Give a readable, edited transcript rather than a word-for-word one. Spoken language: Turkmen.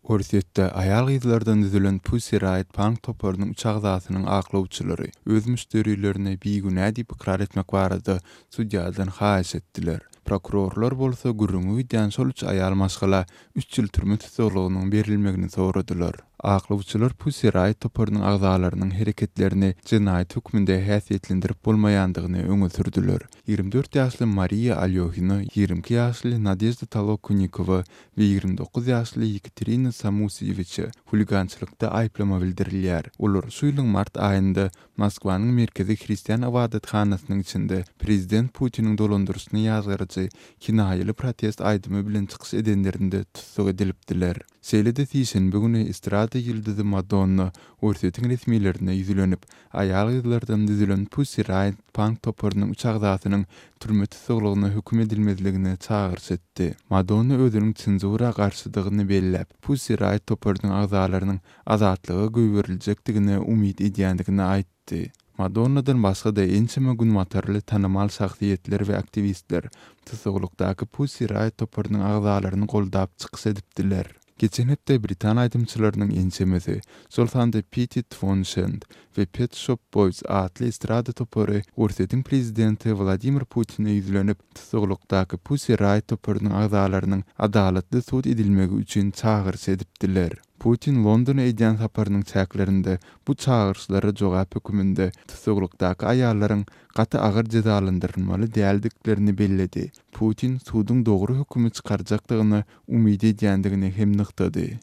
Orsýetde aýal-gyzlardan düzülen Pussy Riot punk toparynyň üç agzasynyň aklawçylary öz müşderilerini bigünä diýip ykrar etmek barada sudýadan haýyş etdiler. Prokurorlar bolsa gürrüňi gidýän şol üç aýal maşgala üç ýyl türme tussaglygynyň berilmegini soradylar. Aklawçylar Pussy Riot toparynyň agzalarynyň hereketlerini jenaýat hökmünde häsiýetlendirip bolmaýandygyny öňe sürdüler. 24 ýaşly Mariýa Alýohina, 22 ýaşly Nadežda Tolokonikowa we 29 ýaşly Ýekaterina Samusiýewiçe huligançylykda aýyplama bildirilýär. Olar şu ýylyň mart aýynda Moskwanyň merkezi hristian ybadathanasynyň içinde prezident Putiniň dolandyryşyny ýazgaryjy kinaýaly protest aýdymy bilen çykyş edenlerinde tussag edilipdiler. Şeýle-de sişenbe güni estrada ýyldyzy Madonna Orsýetiň resmilerine ýüzlenip, aýal-gyzlardan düzülen Pussy Riot punk toparynyň üç agzasynyň türme tussaglygyna höküm edilmezligine çagyryş etdi. Madonna özüniň senzura garşydygyny belläp, Pussy Riot toparynyň agzalarynyň azatlyga goýberiljekdigine umyt edýändigini aýtdy. Madonnadan başga-da ençeme günbatarly tanymal şahsyýetler we aktiwistler tussaglykdaky Pussy Riot toparynyň agzalaryny goldap çykyş edipdiler. Geçen hepde britan aýdymçylarynyň ençemesi, şol sanda Piti Twonşend we Pet Shop Boys atly estrada topary Orsýetiň prezidenti Wladimir Putine ýüzlenip, tussaglykdaky Pussy Riot toparynyň agzalarynyň adalatly sud edilmegi üçin çagyryş edipdiler. Putin Londona edýän saparynyň çäklerinde bu çagyryşlara jogap höküminde tussaglykdaky aýallaryň gaty agyr jezalandyrylmaly däldiklerini belledi. Putin suduň dogry hökümi çykarjakdygyna umyt edýändigini hem nygtady.